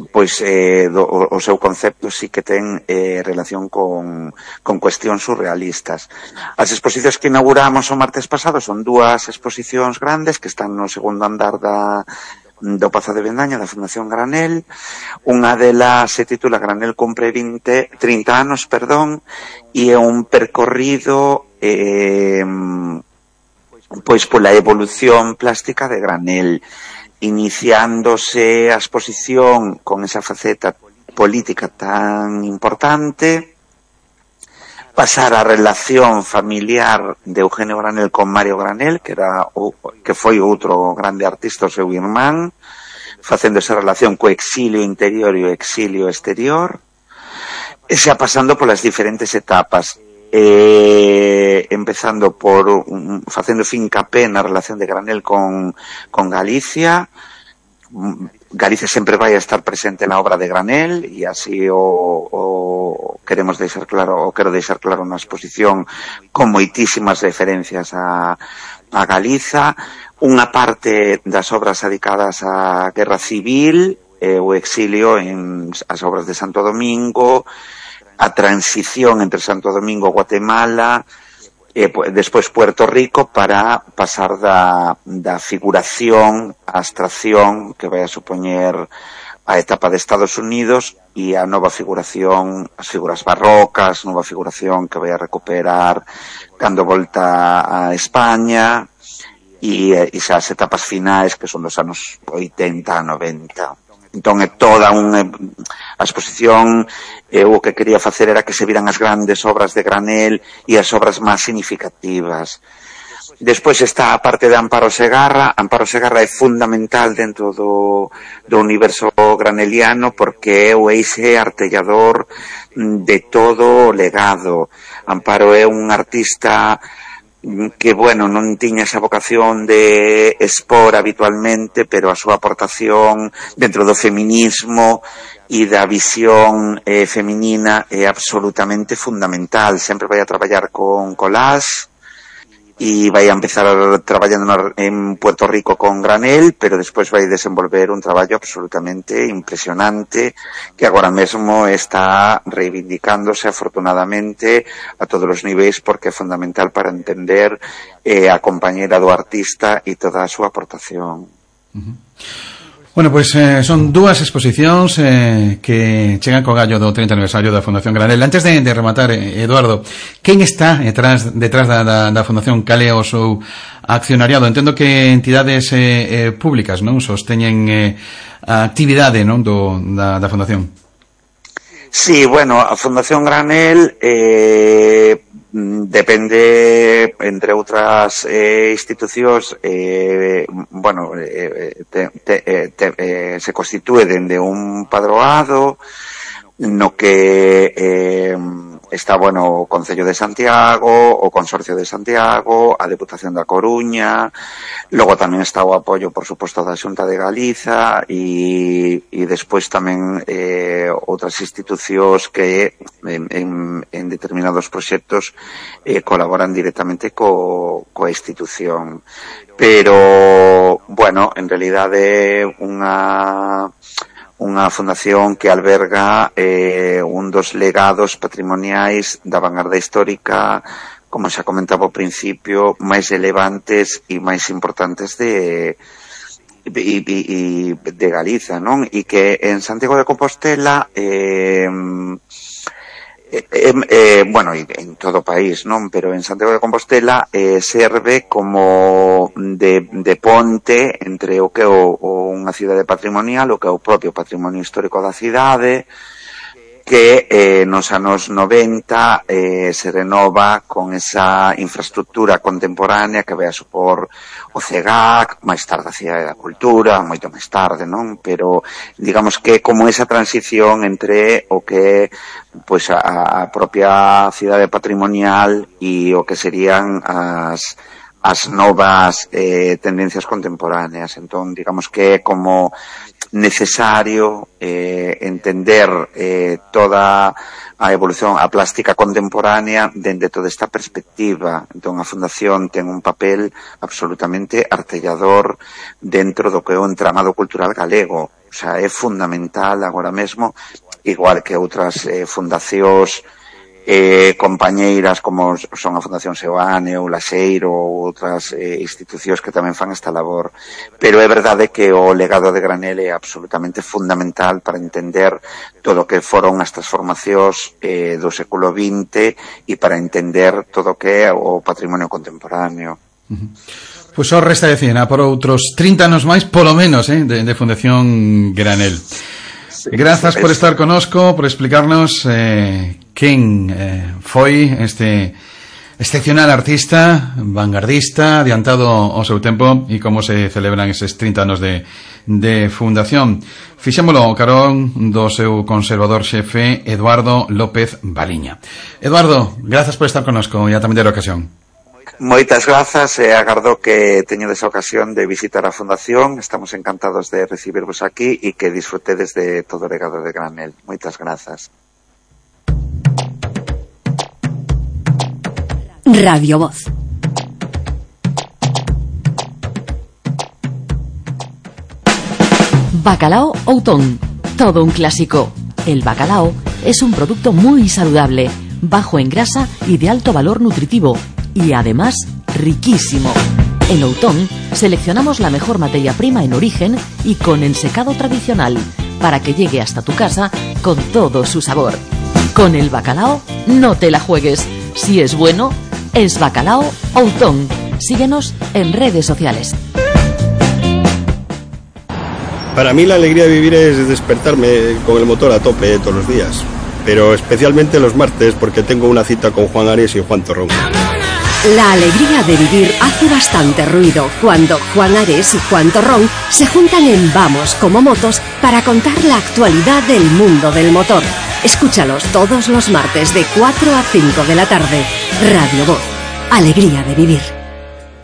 o seu concepto sí que ten relación con cuestións surrealistas. As exposicións que inauguramos o martes pasado son dúas exposicións grandes que están no segundo andar do Pazo de Bendaña, da Fundación Granel. Unha delas se titula Granel cumpre 30 anos, e é un percorrido pola evolución plástica de Granel, iniciándose a exposición con esa faceta política tan importante, pasar a relación familiar de Eugenio Granel con Mario Granel, que foi outro grande artista, o seu irmán, facendo esa relación co exilio interior e o exilio exterior, e xa pasando polas diferentes etapas. empezando por facendo fincapé na relación de Granel con Galicia. Galicia sempre vai a estar presente na obra de Granel e así o quero deixar claro na exposición con moitísimas referencias a Galiza. Unha parte das obras dedicadas á Guerra Civil, o exilio en as obras de Santo Domingo, a transición entre Santo Domingo e Guatemala, despois Puerto Rico, para pasar da figuración á abstracción que vai a supoñer a etapa de Estados Unidos e a nova figuración, as figuras barrocas, nova figuración que vai a recuperar cando volta a España e xa as etapas finais que son dos anos 80 a 90. Entón é toda a exposición, o que quería facer era que se viran as grandes obras de Granel e as obras máis significativas. Despois está a parte de Amparo Segarra. Amparo Segarra é fundamental dentro do universo graneliano porque é o eixe artellador de todo o legado. Amparo é un artista que, bueno, non tiña esa vocación de expor habitualmente, pero a súa aportación dentro do feminismo e da visión feminina é absolutamente fundamental. Sempre vai a traballar con collage e vai a empezar traballando en Puerto Rico con Granel, pero despois vai desenvolver un traballo absolutamente impresionante que agora mesmo está reivindicándose afortunadamente a todos os niveis porque é fundamental para entender a compañera do artista e toda a súa aportación. Bueno, pois son dúas exposicións que chegan co gallo do 30 aniversario da Fundación Granel. Antes de rematar, Eduardo, quen está detrás da Fundación? Cal é o seu accionariado? Entendo que entidades públicas, non, sosteñen a actividade, non, da Fundación. Sí, bueno, a Fundación Granel depende, entre outras institucións, bueno, se constitúe dende un padroado no que está, bueno, o Concello de Santiago, o Consorcio de Santiago, a Deputación da Coruña, logo tamén está o apoio, por suposto, da Xunta de Galiza e despois tamén outras institucións que en determinados proxectos colaboran directamente coa institución. Pero, bueno, en realidade unha fundación que alberga un dos legados patrimoniais da vanguarda histórica, como xa comentaba ao principio, máis relevantes e máis importantes de Galiza, non? E que en Santiago de Compostela bueno, en todo o país, non? Pero en Santiago de Compostela serve como de ponte entre o que é unha cidade patrimonial, o que é o propio patrimonio histórico da cidade, que nos anos 90 se renova con esa infraestructura contemporánea que vai a supor o CEGAC, máis tarde a Cidade da Cultura, moito máis tarde, non? Pero digamos que como esa transición entre o que pois a propia cidade patrimonial e o que serían as novas tendencias contemporáneas. Entón, digamos que é como necesario entender toda a evolución, a plástica contemporánea dende toda esta perspectiva. Entón, a Fundación ten un papel absolutamente artellador dentro do que é o entramado cultural galego. O sea, é fundamental agora mesmo, igual que outras fundacións compañeiras como son a Fundación Seoane ou Laxeiro ou outras institucións que tamén fan esta labor. Pero é verdade que o legado de Granel é absolutamente fundamental para entender todo o que foron as transformacións do século XX e para entender todo o que é o patrimonio contemporáneo. Pois só resta decir, por outros 30 anos máis, polo menos, de Fundación Granel. Grazas por estar conosco, por explicarnos quen foi este excepcional artista, vanguardista, adiantado ao seu tempo, e como se celebran eses 30 anos de fundación. Fixémolo carón do seu conservador xefe Eduardo López Baliña. Eduardo, grazas por estar connosco e a tamén ter ocasión. Moitas grazas e agardo que teñedes a ocasión de visitar a Fundación. Estamos encantados de recibirvos aquí e que disfrutedes de todo o legado de Granel. Moitas grazas. Radio Voz. Bacalao Outón, todo un clásico. El bacalao es un producto muy saludable, bajo en grasa y de alto valor nutritivo, y además riquísimo. En Outón seleccionamos la mejor materia prima en origen y con el secado tradicional, para que llegue hasta tu casa con todo su sabor. Con el bacalao no te la juegues. Si es bueno, es Bacalao Outón. Síguenos en redes sociales. Para mí la alegría de vivir es despertarme con el motor a tope todos los días, pero especialmente los martes porque tengo una cita con Juan Ares y Juan Torrón. La alegría de vivir hace bastante ruido cuando Juan Ares y Juan Torrón se juntan en Vamos como Motos para contar la actualidad del mundo del motor. Escúchalos todos los martes de 4 a 5 de la tarde. Radio Voz. Alegría de vivir.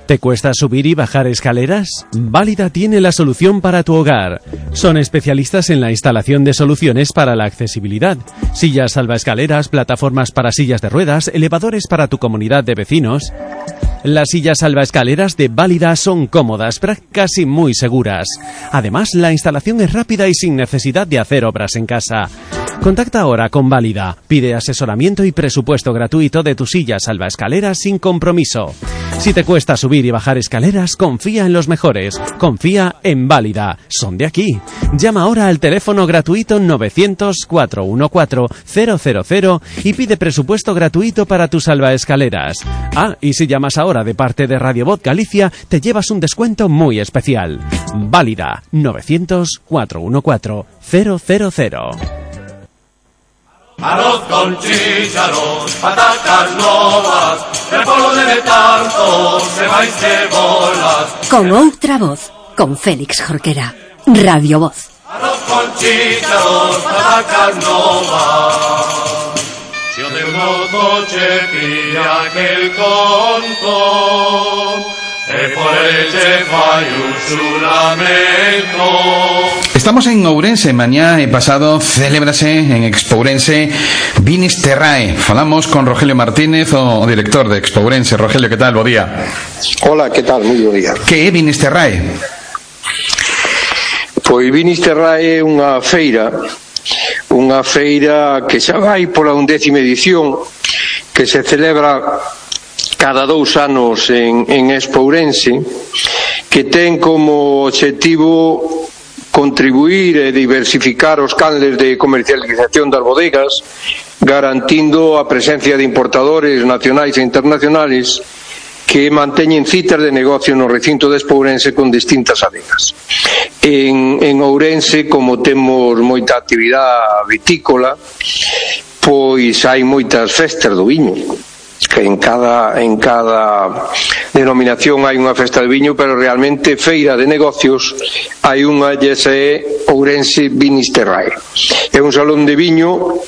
¿Te cuesta subir y bajar escaleras? Válida tiene la solución para tu hogar. Son especialistas en la instalación de soluciones para la accesibilidad. Sillas salvaescaleras, plataformas para sillas de ruedas, elevadores para tu comunidad de vecinos. Las sillas salvaescaleras de Válida son cómodas, prácticas y muy seguras. Además, la instalación es rápida y sin necesidad de hacer obras en casa. Contacta ahora con Válida. Pide asesoramiento y presupuesto gratuito de tu silla salvaescaleras sin compromiso. Si te cuesta subir y bajar escaleras, confía en los mejores. Confía en Válida. Son de aquí. Llama ahora al teléfono gratuito 900-414-000 y pide presupuesto gratuito para tus salvaescaleras. Ah, y si llamas ahora de parte de Radio Voz Galicia, te llevas un descuento muy especial. Válida 900-414-000. Arroz con chícharos, patacas novas, repolo de tanto, cebáis cebolas. Con outra voz, con Félix Jorquera. Radio Voz. Arroz con chícharos, patacas novas. Si o teu nozo che pilla aquel conto, e por eche fai un xuramento. Estamos en Ourense, mañá e pasado celébrase en Expourense Vinisterrae. Falamos con Rogelio Martínez, o director de Expourense. Rogelio, que tal? Bo día. Hola, que tal? Moi bo día. Que é Vinisterrae? Pois Vinisterrae é unha feira que xa vai pola 11ª edición, que se celebra cada 2 anos en Expourense, que ten como obxectivo contribuir e diversificar os canles de comercialización das bodegas, garantindo a presencia de importadores nacionais e internacionales que manteñen citas de negocio no recinto de Expourense con distintas adegas. En Ourense, como temos moita actividade vitícola, pois hai moitas festas do viño. Que en cada denominación hai unha festa de viño, pero realmente feira de negocios hai unha, e esa é Ourense Vinisterrae. É un salón de viño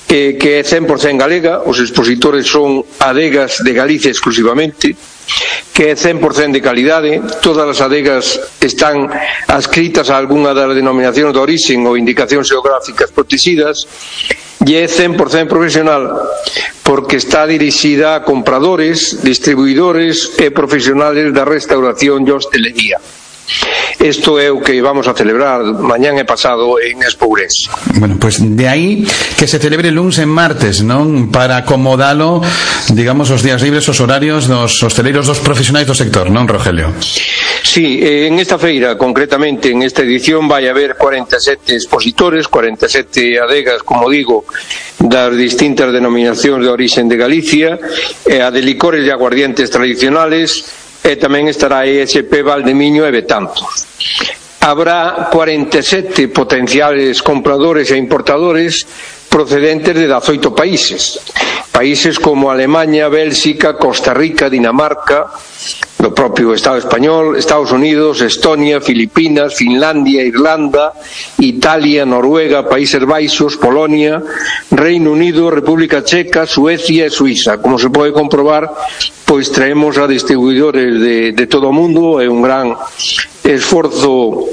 que é 100% galega, os expositores son adegas de Galicia exclusivamente, que é 100% de calidade, todas as adegas están adscritas a algunha das denominacións de orixen ou indicacións xeográficas protegidas, e é 100% profesional porque está dirixida a compradores, distribuidores e profesionales da restauración e hostelería. Isto é o que vamos a celebrar mañán e pasado en Expourense. Bueno, pues de aí que se celebre luns e martes, non? Para acomodalo, digamos, os días libres, os horarios dos hosteleiros, dos profesionais do sector, non, Rogelio? Sí, en esta feira, concretamente en esta edición, vai haber 47 expositores, 47 adegas, como digo, das distintas denominacións de orixen de Galicia, a de licores e aguardientes tradicionales, e tamén estará ESP Valdemiño e Betanzos. Habrá 47 potenciales compradores e importadores procedentes de 18 países. países como Alemania, Bélxica, Costa Rica, Dinamarca, do propio Estado español, Estados Unidos, Estonia, Filipinas, Finlandia, Irlanda, Italia, Noruega, Países Baixos, Polonia, Reino Unido, República Checa, Suecia e Suiza. Como se pode comprobar, pois traemos a distribuidores de todo o mundo, é un gran esforzo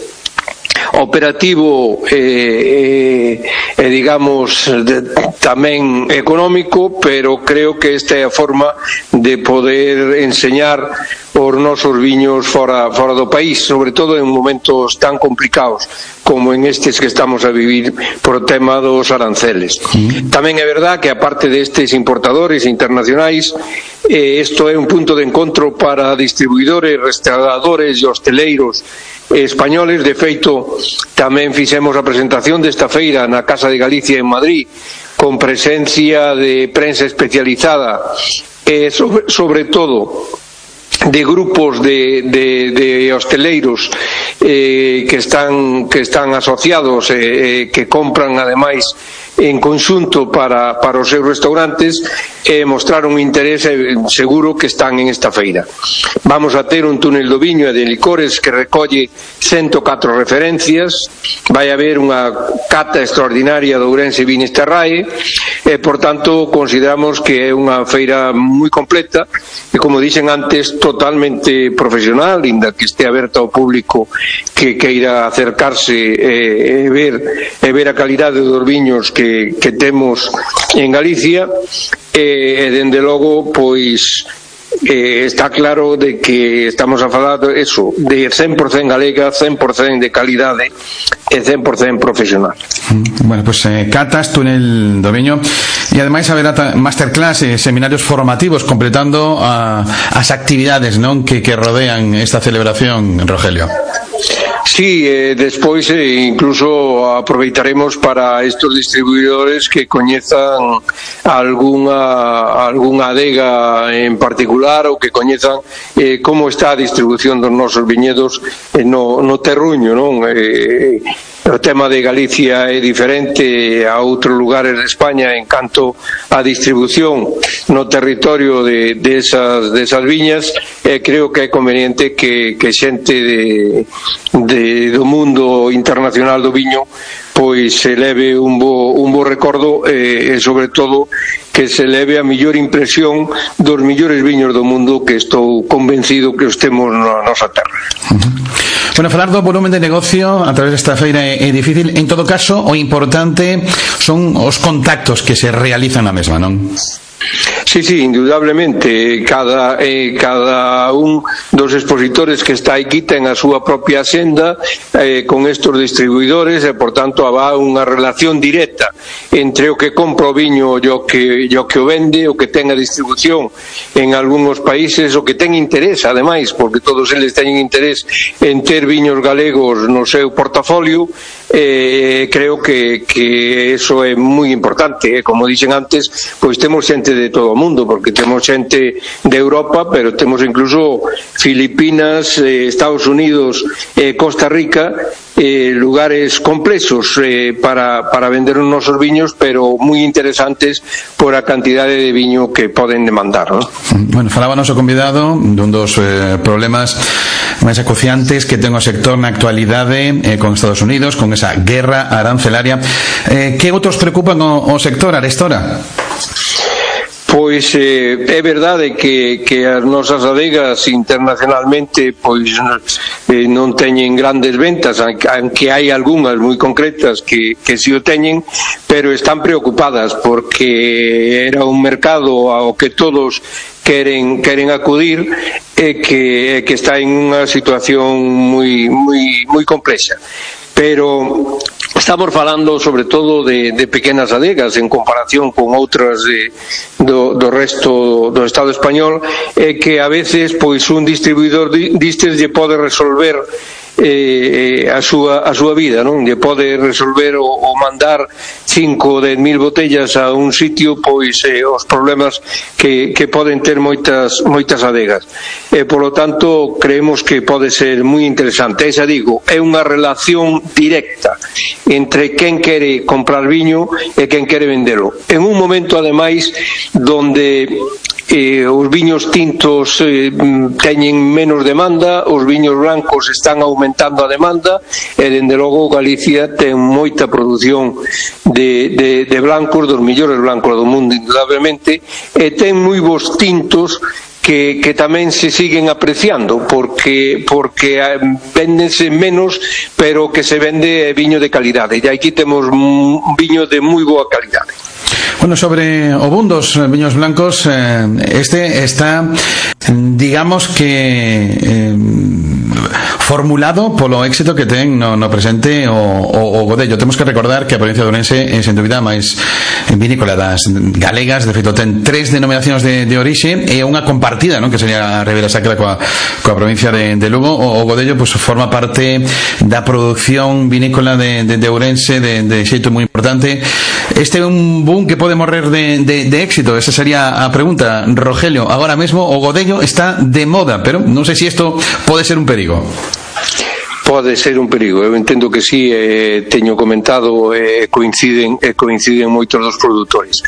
operativo digamos tamén económico, pero creo que esta é a forma de poder enseñar os nosos viños fora do país, sobre todo en momentos tan complicados como en estes que estamos a vivir por o tema dos aranceles. Tamén é verdad que aparte destes importadores internacionais, isto é un punto de encontro para distribuidores, restauradores e hosteleiros españoles. De feito, tamén fixemos a presentación desta feira na Casa de Galicia en Madrid, con presencia de prensa especializada e sobre todo de grupos de hosteleiros que están asociados que compran ademais en conxunto para os seus restaurantes, mostraron interés seguro que están en esta feira. Vamos a ter un túnel do viño e de licores que recolle 104 referencias, vai haber unha cata extraordinaria do Ourense Vinisterrae e, por tanto, consideramos que é unha feira moi completa e, como dixen antes, totalmente profesional, inda que este aberta ao público que queira acercarse e ver a calidade dos viños que temos en Galicia e dende logo pois está claro de que estamos a falar eso, de 100% galega, 100% de calidade e 100% profesional. Bueno, pues catas, túnel do viño e ademais haberá masterclass e seminarios formativos completando as actividades, non, que rodean esta celebración, Rogelio. Sí, despois incluso aproveitaremos para estos distribuidores que coñezan algunha adega en particular ou que coñezan como está a distribución dos nosos viñedos no terruño, non? O tema de Galicia é diferente a outros lugares de España en canto a distribución no territorio de esas viñas. Creo que é conveniente que xente do mundo internacional do viño pois se leve un bo recordo e sobre todo que se leve a mellor impresión dos millores viños do mundo, que estou convencido que os temos na nosa terra. Bueno, falar do volumen de negocio a través desta feira é difícil. En todo caso, o importante son os contactos que se realizan na mesma, non? Sí, indudablemente cada un dos expositores que está aquí ten a súa propia axenda con estos distribuidores e, por tanto, habrá unha relación directa entre o que compra o viño e o que o vende, o que ten a distribución en algúns países, o que ten interés, ademais, porque todos eles teñen interés en ter viños galegos no seu portafolio. Creo que eso é moi importante. Como dixen antes, pois temos xente de todo o mundo, porque temos xente de Europa, pero temos incluso Filipinas, Estados Unidos, Costa Rica, lugares complexos para vender os nosos viños, pero moi interesantes por a cantidade de viño que poden demandar, ¿no? Bueno, falábanos o convidado dun dos problemas máis acuciantes que ten o sector na actualidade con Estados Unidos, con esa guerra arancelaria. Que outros preocupan o sector, Arestora? Pois é verdade que as nosas adegas internacionalmente pois non teñen grandes ventas, aunque hai algunhas moi concretas que si o teñen, pero están preocupadas porque era un mercado ao que todos queren acudir e que está en unha situación moi complexa. Pero estamos falando sobre todo de pequenas adegas en comparación con outras do resto do Estado español, que a veces pois un distribuidor distes lle pode resolver a súa vida, non? Lle pode resolver o mandar 5 ou 10.000 botellas a un sitio, pois os problemas que poden ter moitas adegas. Polo tanto, creemos que pode ser moi interesante. Xa digo, é unha relación directa entre quen quere comprar viño e quen quere vendelo. En un momento, ademais, donde os viños tintos teñen menos demanda, os viños blancos están aumentando a demanda, e dende logo Galicia ten moita produción de blancos, dos millores blancos do mundo, indudablemente, e ten moi bons tintos que tamén se siguen apreciando porque véndense menos, pero que se vende viño de calidade, e aquí temos un viño de moi boa calidade. Bueno, sobre o boom dos viños blancos, este está, digamos que formulado polo éxito que ten no presente o Godello. Temos que recordar que a provincia de Ourense é, sen dúbida, máis vinícola das galegas. De feito, ten 3 denominacións de orixe e unha compartida, non? Que sería a Ribera Sacra coa provincia de Lugo. O Godello, pues, forma parte da produción vinícola de Ourense de xeito moi importante. Este é un boom que pode morrer de éxito. Esa sería a pregunta, Rogelio. Agora mesmo o Godello está de moda, pero non sei se isto pode ser un perigo. Pode ser un perigo, eu entendo que sí, teño comentado, coinciden moitos dos produtores.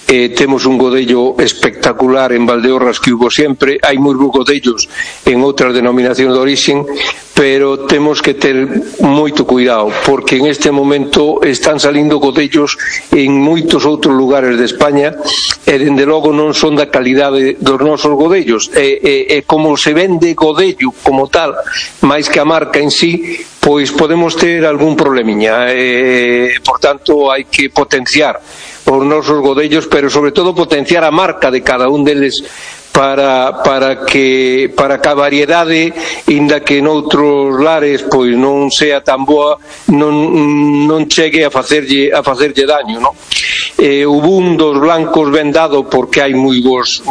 Temos un Godello espectacular en Valdeorras que hubo sempre, hai moi bons Godellos en outras denominacións de orixen, pero temos que ter moito cuidado, porque en este momento están salindo Godellos en moitos outros lugares de España e dende logo non son da calidade dos nosos Godellos, e como se vende Godello como tal, máis que a marca en sí, pois podemos ter algún problemiña, por tanto hai que potenciar os nosos Godellos, pero sobre todo potenciar a marca de cada un deles para que a variedade, inda que noutros lares pois non sea tan boa, non chegue a facerlle daño, non? O boom dos blancos ven dado porque hai moi bons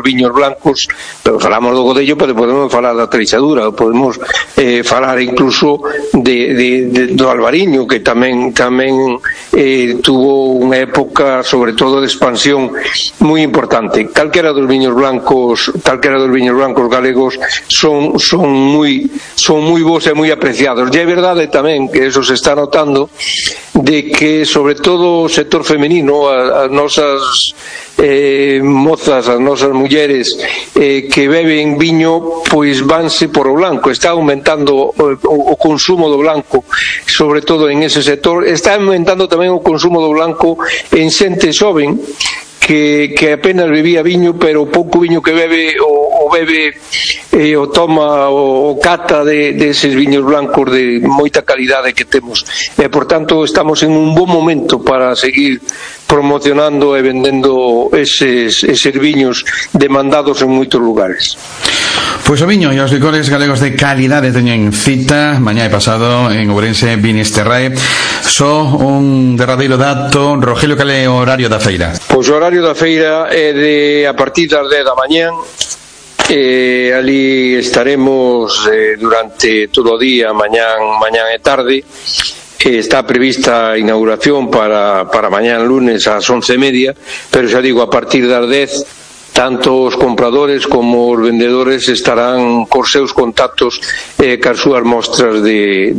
viños blancos, pero falamos do Godello, pero podemos falar da Treixadura, podemos falar incluso do Albariño, que tamén tuvo unha época, sobre todo, de expansión moi importante. Calquera dos viños blancos galegos son moi bons e moi apreciados. E é verdade tamén que eso se está notando, de que sobre todo o sector femenino, as nosas mozas, as nosas mulleres que beben viño, pois vanse por o blanco. Está aumentando o consumo do blanco, sobre todo en ese sector. Está aumentando tamén o consumo do blanco en xente xoven que apenas bebía viño, pero o pouco viño que bebe o toma o cata de eses viños blancos de moita calidade que temos, e por tanto estamos en un bon momento para seguir promocionando e vendendo eses viños demandados en moitos lugares. Pois o viño e os licores galegos de calidade teñen cita mañá e pasado en Ourense Vinisterrae. Só un derradeiro dato, Rogelio, cal é o horario da feira? Pois o horario da feira é a partir das 10 da mañán. Ali estaremos durante todo o día, mañán e tarde. Está prevista a inauguración para mañán lunes ás 11:30, pero xa digo, a partir das 10 tanto os compradores como os vendedores estarán cos seus contactos cas súas mostras de